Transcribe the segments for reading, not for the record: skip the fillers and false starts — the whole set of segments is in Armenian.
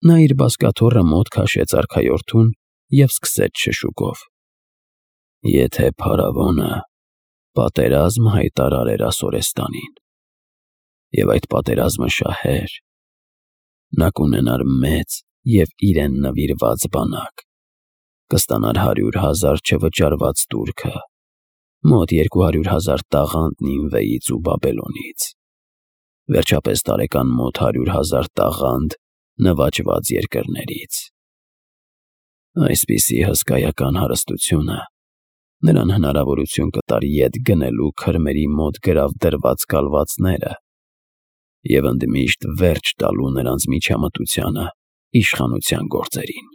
Նա իր բազկաթոռը մոտ քաշեց արքայորդուն և սկսեց շշուկով. «Եթե փարավոնը պատերազմ հայտարարեր Ասորեստանին, և այդ պատերազմը շահեր, նա կունենար մեծ և իրեն նվիրված բանակ, կստանար 100,000 չվճարված տուրքը, մոտ 200,000 տաղանդ Նինվեից ու Բաբելոնից, վերջապես տարեկան մոտ 100,000 տաղանդ նվաճված երկրներից։ Այսպիսի հսկայական հարստությունը նրան հնարավորություն կտար ետ գնելու քրմերի մոտ գրավ դրված կալվածները և ընդմիշտ վերջ տալու նրանց միջամտությանը իշխանության գործերին»։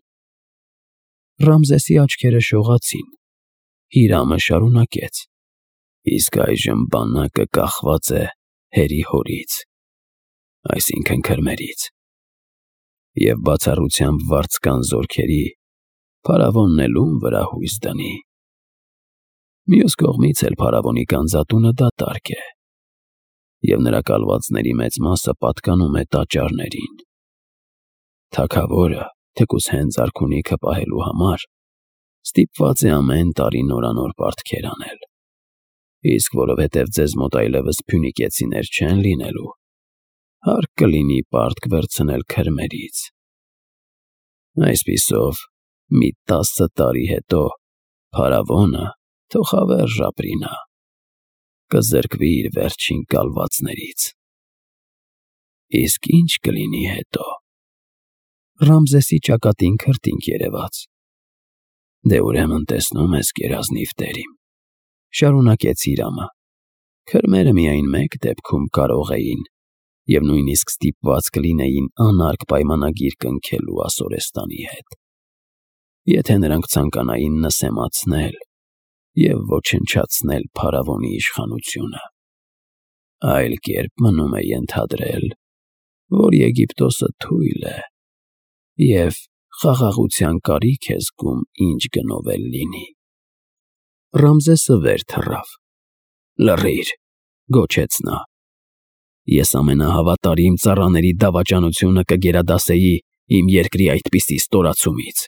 Ռամզեսի աչքերը շողացին։ Հիրամը շարունակեց. «Իսկ այժմ բանակը կախված է հերի հորից, այսինքն քրմերից, և բացառությամբ վարձկան զորքերի փարավոնն էլ ում վրա հույս դնի։ Մյուս կողմից էլ փարավոնի գանձատունը դատարկ է, և նրա կալվածների մեծ մասը պատկանում է տաճարներին։ Թագավորը, թեկուզ հենց արքունիքը պահելու համար, ստիպված է ամեն տարի նորանոր պարտքեր անել, իսկ որովհետև ձեզ մոտ այլևս փյունիկեցիներ չեն լինելու, հարկ կլինի պարտք վերցնել քրմերից։ Այսպիսով, մի 10 տարի հետո փարավոնը, թող հավերժ ապրի նա, կզրկվի իր վերջին կալվածներից։ Իսկ ի՞նչ կլինի հետո»։ Ռամզեսի ճակատին քրտինք երևաց։ «Դե ուրեմն տեսնում ես, գերազնիվ տեր իմ», շարունակեց Հիրամը, «քրմերը միայն մեկ դեպքում կարող էին և նույնիսկ ստիպված կլինեին անարգ պայմանագիր կնքելու Ասորեստանի հետ, եթե նրանք ցանկանային նսեմացնել և ոչնչացնել փարավոնի իշխանությունը։ Այլ կերպ մնում է ենթադրել, որ Եգիպտոսը թույլ է և խաղաղության կարիք է զգում ինչ գնով էլ լինի»։ Ռամզեսը վեր թռավ։ «Լռիր», գոչեց նա։ «Ես ամենահավատարիմ ծառաների դավաճանությունը կգերադասեի իմ երկրի այդպիսի ստորացումից։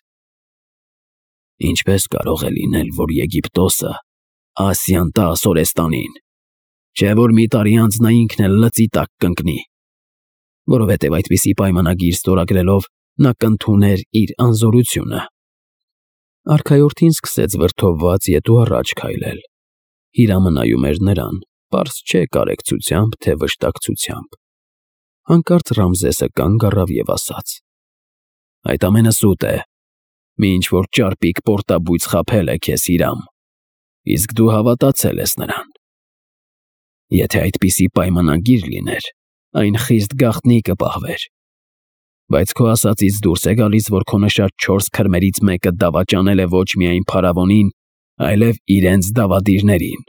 Ինչպե՞ս կարող է լինել, որ Եգիպտոսը Ասիան տա Ասորեստանին, չէ՞ որ մի տարի անց նա ինքն էլ լծի տակ կընկնի, որովհետև այդպիսի պայմանագիր ստորագրելով նա կընդուներ իր անզորությունը»։ Արքայորդին սկսեց վրդովված ետ ու առաջ քայլել։ Հիրամը նայում էր նրան, պարզ չէ կարեկցությամբ, թե վշտակցությամբ։ Հանկարծ Ռամզեսը կանգ առավ և ասաց. «Այդ ամենը սուտ է։ Մի ինչ-որ ճարպիկ պորտաբույծ խաբել է քեզ, Հիրամ, իսկ դու հավատացել ես նրան։ Եթե այդպիսի պայմանագիր լիներ, այն խիստ գաղտնի կպահվեր, բայց քո ասածից դուրս է գալիս, որ քո նշած 4 քրմերից մեկը դավաճանել է ոչ միայն փարավոնին, այլև իրենց դավադիրներին։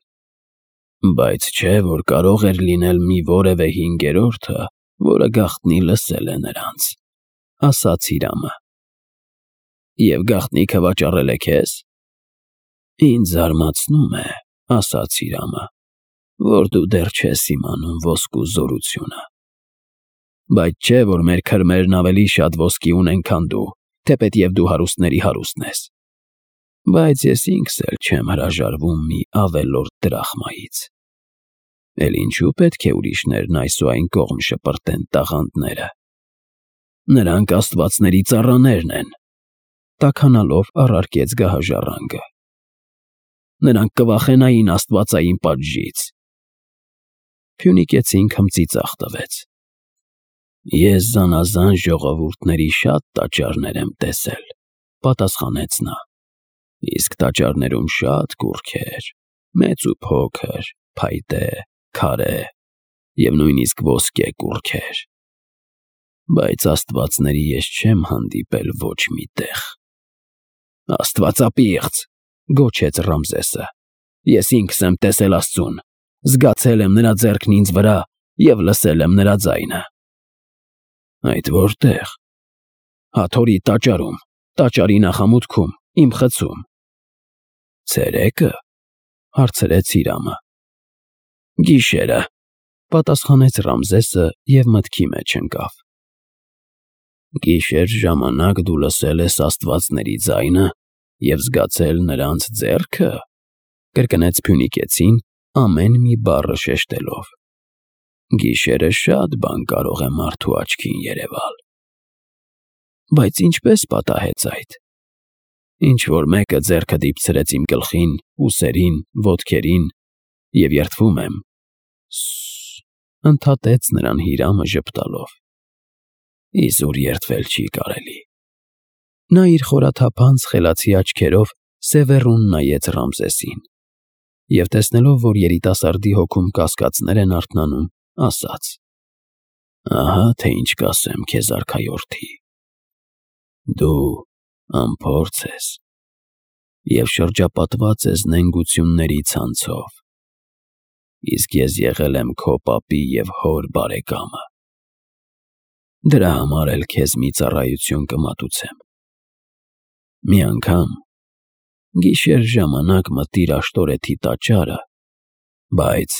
Բայց չէ՞ որ կարող էր լինել մի որևէ հինգերորդը, որը գաղտնի լսել է նրանց», ֊ ասաց Հիրամը։ «Եվ գաղտնիքը վաճառել է քեզ»։ «Ինձ զարմացնում է», ֊ ասաց Հիրամը, «որ դու դեռ չես իմանում ոսկու զորությունը։ Բայց չէ՞ որ մեր քրմերն ավելի շատ ոսկի ունեն, քան դու, թեպետև դու հարուստների հարուստն ես։ Բայց ես ինքս էլ չեմ հրաժարվում մի ավելորդ դրախմայից։ Էլ ինչու պետք է ուրիշներն այս ու այն կողմ շպրտեն տաղանդները։ Նրանք աստվածների ծառաներն են», ֊ տաքանալով առարկեց գահաժառանգը։ «Նրանք կվախենային աստվածային պատժից»։ Փյունիկեցին քմծիծաղ տվեց։ «Ես զանազան ժողովուրդների շատ տաճարներ եմ տեսել», ֊ պատասխանեց նա, «իսկ տաճարներում շատ կուռքեր, մեծ ու փոքր, փայտե, քարե և նույնիսկ ոսկե կուռքեր, բայց աստվածների ես չեմ հանդիպել ոչ մի տեղ»։ «Աստվածապիղծ», ֊ գոչեց Ռամզեսը, «ես ինքս եմ տեսել Աստծուն, զգացել եմ նրա ձեռքն ինձ վրա և լսել եմ նրա ձայնը»։ «Այդ որտե՞ղ»։ «Հաթորի տաճարում, տաճարի նախամուտքում, իմ խցում»։ «Ցերեկը», ֊ հարցրեց Հիրամը։ «Գիշերը», ֊ պատասխանեց Ռամզեսը և մտքի մեջ ընկավ։ Գիշեր ժամանակ դու լսել ես աստվածների ձայնը և զգացել նրանց ձեռքը, կրկնեց Փյունիկեցին ամեն մի բառը շեշտելով։ Գիշերը շատ բան կարող է մարդու աչքին երևալ։ Բայց ինչպես պատահեց այդ։ Ինչ-որ մեկը ձեռքը դիպցրեց իմ գլխին, ուսերին, ոտքերին և երդվում եմ, ընդհատեց նրան Հիրամը ժպտալով։ Իզուր երդվել չի կարելի։ Նա իր խորաթափանց խելացի աչքերով սևեռուն նայեց Ռամզեսին և տեսնելով, որ երիտասարդի հոգում կասկածներ են արթնանում, ասաց. Ահա թե ինչ կասեմ քեզ, արքայորդի։ Դու անփորձ ես և շրջապատված ես նենգությունների ցանցով, իսկ ես եղել եմ քո պապի և հոր բարեկամը։ Դրա համար էլ քեզ մի ծառայություն կմատուցեմ։ Մի անգամ գիշեր ժամանակ մտիր Աշտորեթի տաճարը, բայց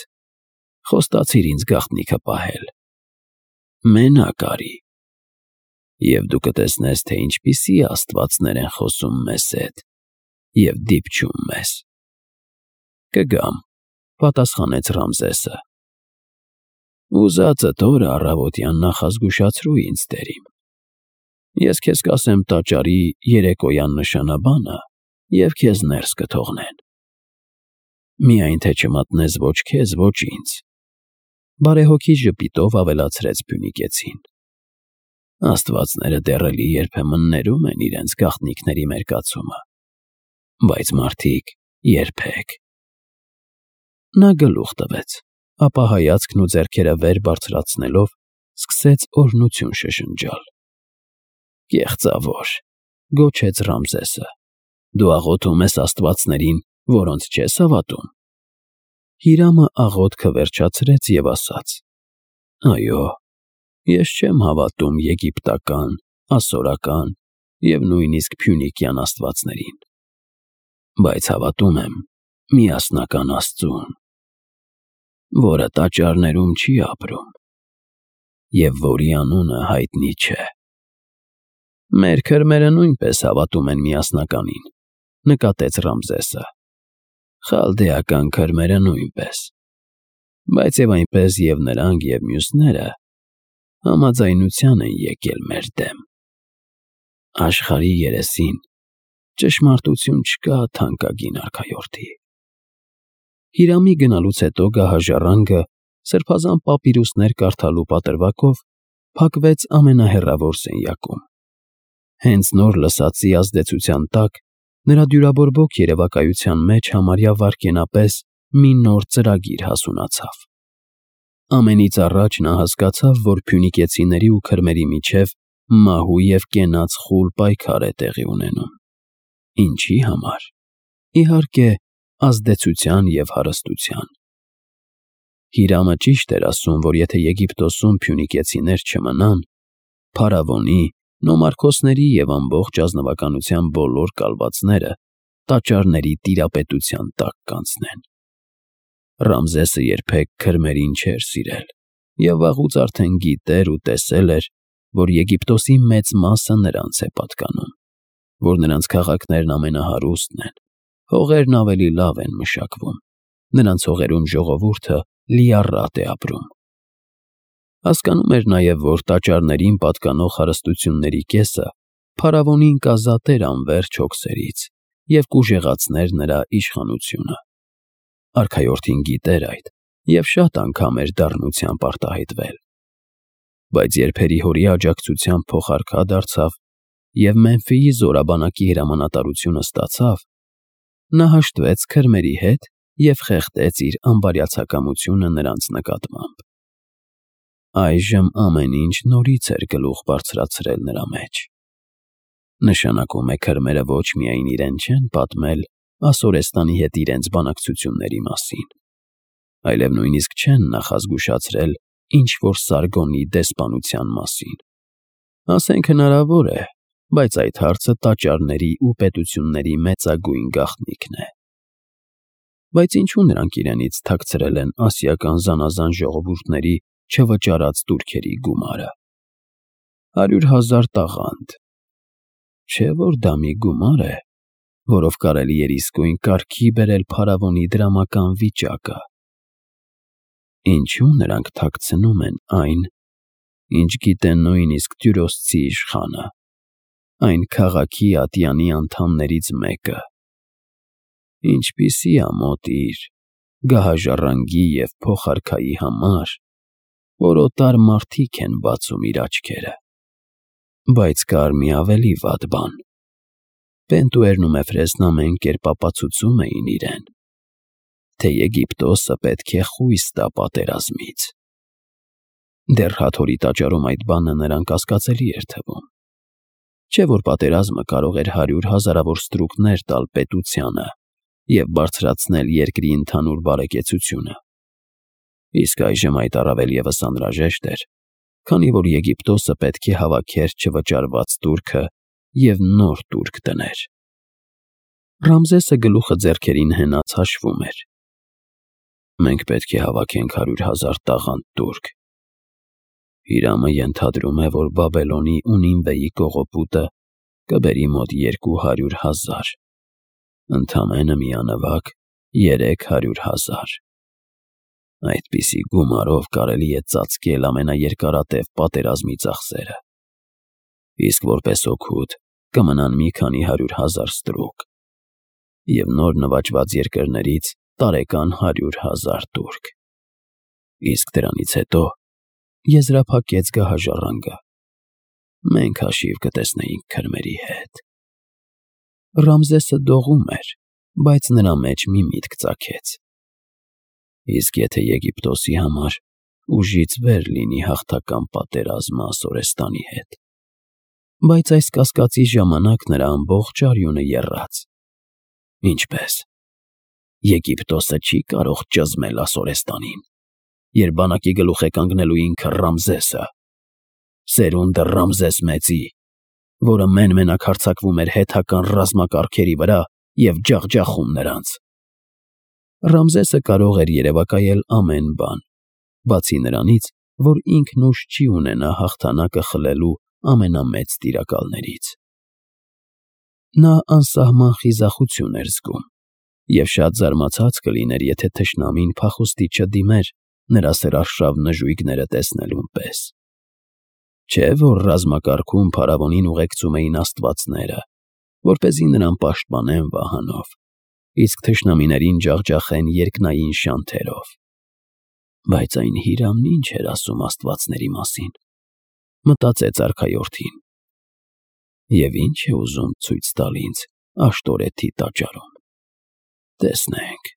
խոստացիր ինձ գաղտնիքը պահել։ Մենակ արի, և դու կտեսնես, թե ինչպիսի աստվածներ են խոսում մեզ հետ և դիպչում մեզ։ Կգամ, պատասխանեց Ռամզեսը։ Ուզածդ օրը առավոտյան նախազգուշացրու ինձ, տերիմ։ Ես քեզ կասեմ տաճարի երեկոյան նշանաբանը, և քեզ ներս կթողնեն։ Միայն թե չմատնես ոչ քեզ, ոչ ինձ, բարեհոգի ժպիտով ավելացրեց Փյունիկեցին։ Աստվածները դեռ էլի երբեմն ներում են իրենց գաղտնիքների մերկացումը, բայց մարդիկ երբեք։ Նա գլուխ տվեց, ապա հայացքն ու ձեռքերը վեր բարձրացնելով սկսեց օրհնություն շշնջալ։ Կեղծավոր, գոչեց Ռամզեսը, դու աղոթում ես աստվածներին, որոնց չես հավատում։ Հիրամը աղոթքը վերջացրեց և ասաց. Այո, ես չեմ հավատում եգիպտական, ասորական և նույնիսկ փյունիկյան աստվածներին, բայց հավատում եմ միասնական Աստծուն, որը տաճարներում չի ապրում և որի անունը հայտնի չէ։ Մեր քրմերը նույնպես հավատում են միասնականին, նկատեց Ռամզեսը։ Խալդեական քրմերը նույնպես, բայց և այնպես և նրանք և մյուսները համաձայնության են եկել մեր դեմ։ Աշխարհի երեսին ճշմարտություն չկա, թանկագին արքայորդի։ Հիրամի գնալուց հետո գահաժառանգը սրբազան պապիրուսներ կարդալու պատրվակով փակվեց ամենահեռավոր սենյակում։ Հենց նոր լսածի ազդեցության տակ նրա դյուրաբորբոք երևակայության մեջ համարյա վայրկենապես մի նոր ծրագիր հասունացավ։ Ամենից առաջ նա հասկացավ, որ փյունիկեցիների ու քրմերի միջև մահու և կենաց խուլ պայքար է տեղի ունենում։ Ինչի համար։ Իհարկե, ազդեցության և հարստության։ Հիրամը ճիշտ էր ասում, որ եթե Եգիպտոսում փյունիկեցիներ չմնան, փարավոնի, նոմարքոսների և ամբողջ ազնվականության բոլոր կալվածները տաճարների տիրապետության տակ կանցնեն։ Ռամզեսը երբեք քրմերին չէր սիրել և վաղուց արդեն գիտեր ու տեսել էր, որ Եգիպտոսի մեծ մասը նրանց է պատկանում, որ նրանց քաղաքներն ամենահարուստն են, հողերն ավելի լավ են մշակվում, նրանց հողերում ժողովուրդը լիառատ է ապրում։ Հասկանում էր նաև, որ տաճարներին պատկանող հարստությունների կեսը փարավոնին կազատեր անվերջ հոգսերից և կուժեղացներ նրա իշխանությունը։ Արքայորդին գիտեր այդ և շատ անգամ էր դառնությամբ արտահայտվել։ Բայց երբ հերի-հորի աջակցությամբ փոխարքա դարձավ և Մեմֆիի զորաբանակի հրամանատարությունը ստացավ, նա հաշտվեց քրմերի հետ և խեղդեց իր անբարյացակամությունը նրանց նկատմամբ։ Այժմ ամեն ինչ նորից էր գլուխ բարձրացրել նրա մեջ։ Նշանակում է քրմերը ոչ միայն իրեն չեն պատմել Ասորեստանի հետ իրենց բանակցությունների մասին, այլև նույնիսկ չեն նախազգուշացրել ինչ-որ Սարգոնի դեսպանության մասին։ Ասենք հնարավոր է, բայց այդ հարցը տաճարների ու պետությունների մեծագույն գաղտնիքն է։ Բայց ինչու նրանք իրենից թաքցրել են ասիական զանազան ժողովուրդների չվճարած տուրքերի գումարը։ 100,000 տաղանդ։ Չէ՞ որ դա մի գումար է, որով կարելի էր իսկույն կարգի բերել փարավոնի դրամական վիճակը։ Ինչու նրանք թաքցնում են այն, ինչ գիտեն նույնիսկ Տյուրոսցի իշխանը, այն քաղաքի ատյանի անդամներից մեկը։ Ինչպիսի ամոթ իր, գահաժառանգի և փոխարքայի համար, որ օտար մարդիկ են բացում իր աչքերը։ Բայց կար մի ավելի վատ բան. Պենտուերն ու Մեֆրեսն ամեն կերպ ապացուցում էին իրեն, թե Եգիպտոսը պետք է խույս տա պատերազմից։ Դեռ Հաթորի տաճարում այդ բանը նրան կասկածելի էր թվում։ Չէ՞ որ պատերազմը կարող էր 100 հազարավոր ստրուկներ տալ պետությանը և բարձրացնել երկրի ընդհանուր բարեկեցությունը։ Իսկ այժմ այդ առավել ևս անհրաժեշտ էր, քանի որ Եգիպտոսը պետք է հավաքեր չվճարված տուրքը և նոր տուրք դներ։ Ռամզեսը գլուխը ձեռքերին հենած հաշվում էր։ Մենք պետք է հավաքենք 100,000 տաղանդ տուրք։ Հիրամը ենթադրում է, որ Բաբելոնի ու Նինվեի կողոպուտը կբերի մոտ 200,000, ընդամենը միանվագ 300,000։ Այդպիսի գումարով կարելի է ծածկել ամենաերկարատև պատերազմի ծախսերը։ Իսկ որպես օգուտ կմնան մի քանի 100,000 ստրուկ և նոր նվաճված երկրներից տարեկան 100,000 տուրք։ Իսկ դրանից հետո, եզրափակեց գահաժառանգը, մենք հաշիվ կտեսնեինք քրմերի հետ։ Ռամզեսը դողում էր, բայց նրա մեջ մի միտք ծագեց. իսկ եթե Եգիպտոսի համար ուժից վեր լինի հաղթական պատերազմը Ասորեստանի հետ։ Բայց այս կասկածի ժամանակ նրա ամբողջ արյունը եռաց։ Ինչպե՞ս։ Եգիպտոսը չի կարող ճզմել Ասորեստանին, երբ բանակի գլուխ է կանգնելու ինքը Ռամզեսը, սերունդը Ռամզես Մեծի, որը մեն-մենակ հարձակվում էր հեթական ռազմակարգերի վրա և ջախջախում նրանց։ Ռամզեսը կարող էր երևակայել ամեն բան, բացի նրանից, որ ինքն ուժ չի ունենա հաղթանակը խլելու ամենամեծ տիրակալներից։ Նա անսահման խիզախություն էր զգում և շատ զարմացած կլիներ, եթե թշնամին փախուստի չդիմեր նրա սրարշավ նժույգները տեսնելուն պես։ Չէ՞ որ ռազմակարգում փարավոնին ուղեկցում էին աստվածները, որպեսզի նրան պաշտպանեն վահանով, իսկ թշնամիներին ջախջախեն երկնային շանթերով։ Բայց այն Հիրամն ինչ էր ասում աստվածների մասին, մտածեց արքայորդին։ Եվ ինչ է ուզում ցույց տալ ինձ Աշտորեթի տաճարում։ Տեսնենք։